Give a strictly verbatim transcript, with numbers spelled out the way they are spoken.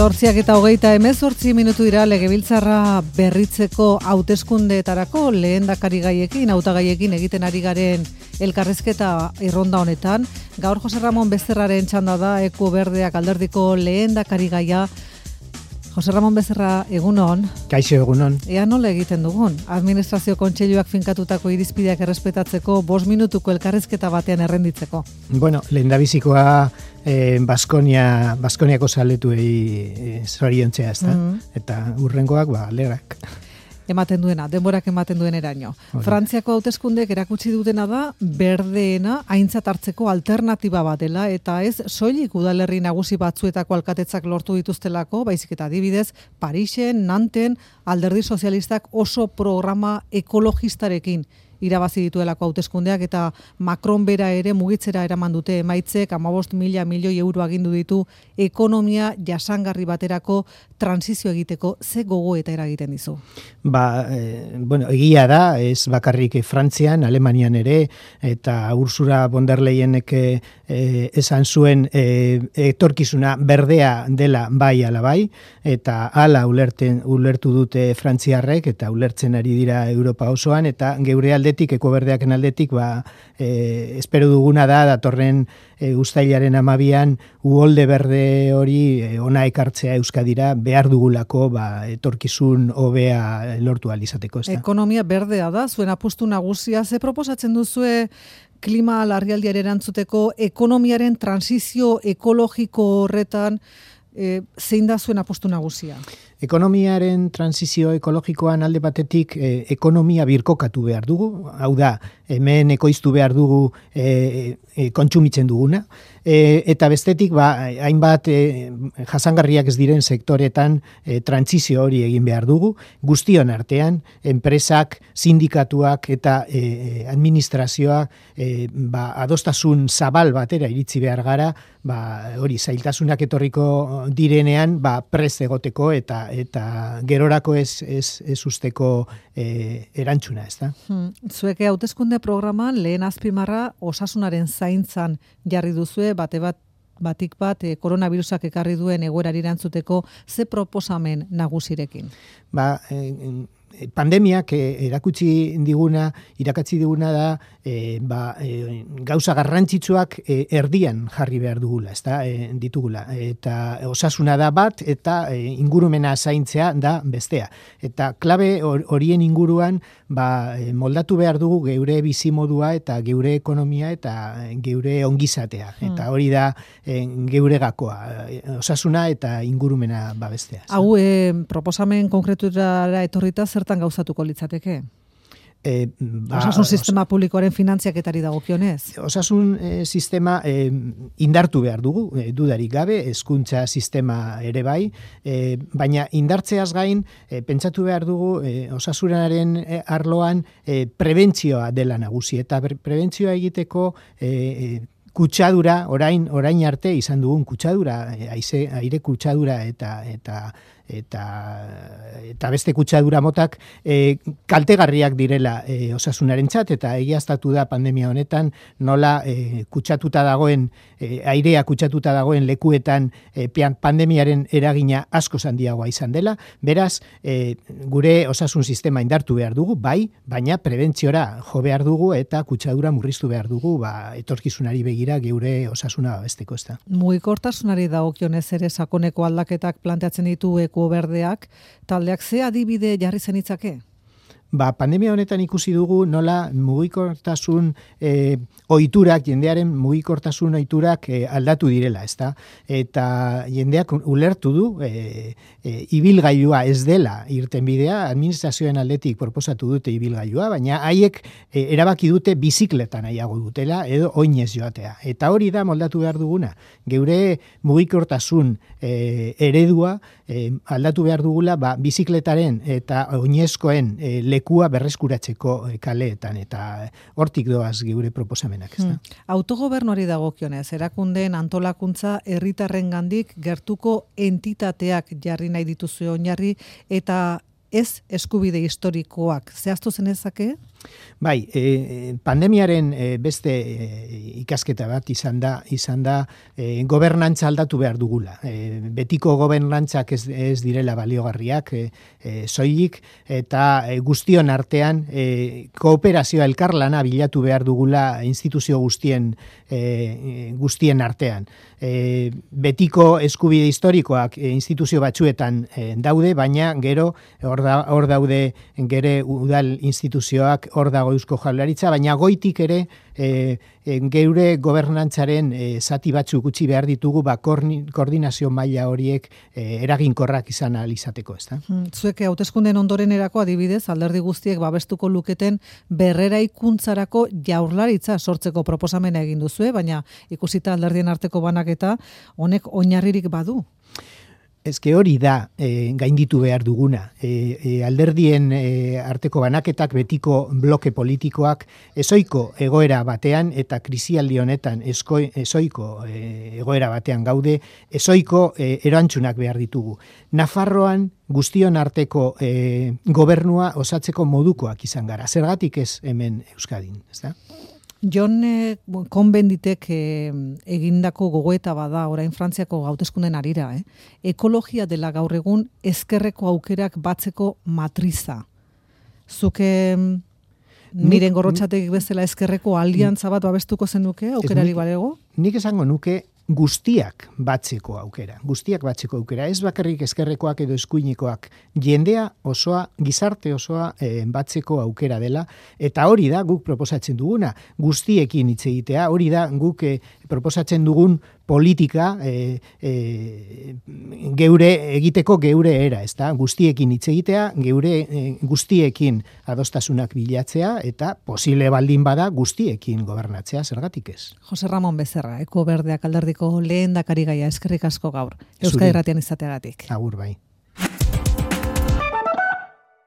Zortziak eta hogeita hemezortzi minutu dira legebiltzarra berritzeko hauteskundeetarako lehendakari gaiekin, hautagaiekin egiten ari garen elkarrezketa erronda honetan. Gaur Jose Ramon Bezerraren txanda da, Eko Berdeak alderdiko lehendakari gaia. Jose Ramon Bezerra, egunon. Kaixo, egunon. Ea nola egiten dugun? Administrazio kontseiluak finkatutako irizpideak errespetatzeko bost minutuko elkarrezketa batean errenditzeko. Bueno, lehendabizikoa eh, Baskonia, Baskoniako zaletuei eh, zoriontzea, ez da? Mm-hmm. Eta urrengoak, ba, alegrak. Ematen duena, denborak ematen duen eraino. Frantziako hauteskundeek erakutsi dutena da, berdeena aintzat hartzeko alternatiba bat dela, eta ez soilik udalerri nagusi batzuetako alkatetzak lortu dituztelako, baizik eta adibidez, Parisen, Nanten, alderdi sozialistak oso programa ekologistarekin irabazi dituelako hauteskundeak, eta Macron bera ere mugitzera eraman dute emaitzek, hamabost mila milioi euro agindu ditu ekonomia jasangarri baterako transizio egiteko. Ze gogo eta eragiten dizu? Ba, eh, bueno, egia da, ez bakarrik Frantzian, Alemanian ere, eta Ursula von der Leyenek eh, esan zuen eh, etorkizuna berdea dela bai ala bai, eta hala ulerten, ulertu dute frantziarrek, eta ulertzen ari dira Europa osoan, eta geure aldetik, Eko Berdeaken aldetik, ba, eh, espero duguna da, datorren e, uztailaren amabian, uholde berde hori e, ona ekartzea Euskadira, behar dugulako ba, etorkizun hobea lortu ahal izateko. Ez da? Ekonomia berdea da, zuen apustu nagusia, ze proposatzen duzue klima larrialdiaren erantzuteko ekonomiaren transizio ekologiko horretan, e, zein da zuen apustu nagusia? Ekonomiaren transizio ekologikoan alde batetik eh, ekonomia birkokatu behar dugu, hau da, hemen ekoiztu behar dugu eh, eh, kontsumitzen duguna, e, eta bestetik ba, hainbat eh, jasangarriak ez diren sektoretan eh, transizio hori egin behar dugu, guztion artean, enpresak, sindikatuak eta eh, administrazioa eh, ba, adostasun zabal batera iritzi behar gara, ba, hori zailtasunak etorriko direnean ba, prest egoteko eta eta gerorako ez, ez, ez usteko e, erantzuna, ez da? Hmm. Zueke hauteskunde programan lehen azpimarra osasunaren zaintzan jarri duzue, bate bat, batik bat e, koronavirusak ekarri duen egoerari erantzuteko, ze proposamen nagusirekin? Ba, e, pandemiak erakutsi diguna, irakatsi diguna da, e, ba, e, gauza garrantzitsuak e, erdian jarri behar dugula, ez da, e, ditugula. Eta osasuna da bat, eta e, ingurumena zaintzea da bestea. Eta klabe horien inguruan, ba, moldatu behar dugu geure bizimodua eta geure ekonomia eta geure ongizatea. Hmm. Eta hori da e, geure gakoa, osasuna eta ingurumena babestea. Hau, e, proposamen konkretura etorrita zertan gauzatuko litzateke? E, ba, osasun sistema osa, publikoaren finantziaketari dagokionez? Osasun e, sistema e, indartu behar dugu, e, dudarik gabe, hezkuntza sistema ere bai, e, baina indartzeaz gain, e, pentsatu behar dugu e, osasunaren e, arloan e, prebentzioa dela nagusi, eta prebentzioa egiteko e, e, kutsadura, orain orain arte izan dugun kutsadura, aize, aire kutsadura eta eta eta eta beste kutsadura motak e, kaltegarriak direla e, osasunarentzat, eta egiaztatu da pandemia honetan nola e, kutsatuta dagoen e, airea kutsatuta dagoen lekuetan e, pandemiaren eragina asko handiagoa izan dela. Beraz, e, gure osasun sistema indartu behar dugu, bai, baina prebentziora jo behar dugu eta kutsadura murriztu behar dugu, ba, etorkizunari begira geure osasuna babesteko, ez da. Mugikortasunari dagokionez ere sakoneko aldaketak planteatzen ditu Eko Berdeak, taldeak ze adibide jarri zenitzake? Ba, pandemia honetan ikusi dugu nola mugikortasun e, ohiturak, jendearen mugikortasun ohiturak e, aldatu direla, ezta? Eta jendeak ulertu du e, e, ibilgailua ez dela irten bidea, administrazioen aldetik proposatu dute ibilgailua, baina haiek e, erabaki dute bizikletan nahiago dutela edo oinez joatea. Eta hori da moldatu behar duguna. Geure mugikortasun e, eredua e, aldatu behar dugula ba, bizikletaren eta oinezkoen e, lekua berreskuratzeko kaleetan, eta hortik doaz geure proposamenak, ez da? Hmm. Autogobernuari dagokionez, erakundeen antolakuntza herritarrengandik gertuko entitateak jarri nahi dituzue oinarri, eta ez eskubide historikoak. Zehaztu zenezake? Bai, e, pandemiaren e, beste e, ikasketa bat izan da, izan da e, gobernantza aldatu behar dugula. E, betiko gobernantzak ez, ez direla baliogarriak, e, e, soilik, eta e, guztion artean e, kooperazioa elkarlana bilatu behar dugula instituzio guztien, e, guztien artean. E, betiko eskubide historikoak e, instituzio batzuetan e, daude, baina gero hor da, hor daude gere udal instituzioak, hor dago Eusko Jaurlaritza, baina goitik ere e, e, geure gobernantzaren e, zati batzuk utzi behar ditugu ba, koordinazio maila horiek e, eraginkorrak izan ahal izateko, ezta? Zuek hauteskunden ondorenerako adibidez, alderdi guztiek babestuko luketen berreraikuntzarako Jaurlaritza sortzeko proposamena egin duzue, baina ikusita alderdien arteko banaketa honek oinarririk badu. Ezke hori da e, gainditu behar duguna. E, e, alderdien e, arteko banaketak betiko bloke politikoak ezoiko egoera batean eta krisialdi honetan esko, ezoiko e, egoera batean gaude, ezoiko e, erantzunak behar ditugu. Nafarroan guztion arteko e, gobernua osatzeko modukoak izan gara. Zergatik ez hemen Euskadin, ez da? Jon eh, Konbenditek eh, egindako gogoeta bada orain Frantziako hauteskunden arira, eh? Ekologia dela gaur egun ezkerreko aukerak batzeko matriza. Zuke miren gorrotxatek bezala ezkerreko aliantza bat babestuko zenuke aukerari balego? Nik esango nuke guztiak batzeko aukera. Guztiak batzeko aukera. Ez bakarrik ezkerrekoak edo eskuinekoak. Jendea osoa, gizarte osoa e, batzeko aukera dela. Eta hori da guk proposatzen duguna. Guztiekin hitz egitea. Hori da guk e, proposatzen dugun politika e, e, geure egiteko geure era, ezta? Guztiekin hitz egitea, geure e, guztiekin adostasunak bilatzea eta posible baldin bada guztiekin gobernatzea, zergatik ez? Jose Ramon Becerra, Eko Berdeak alderdiko lehendakari gaia, eskerrik asko gaur. Euskadi Irratian izateagatik. Agur bai.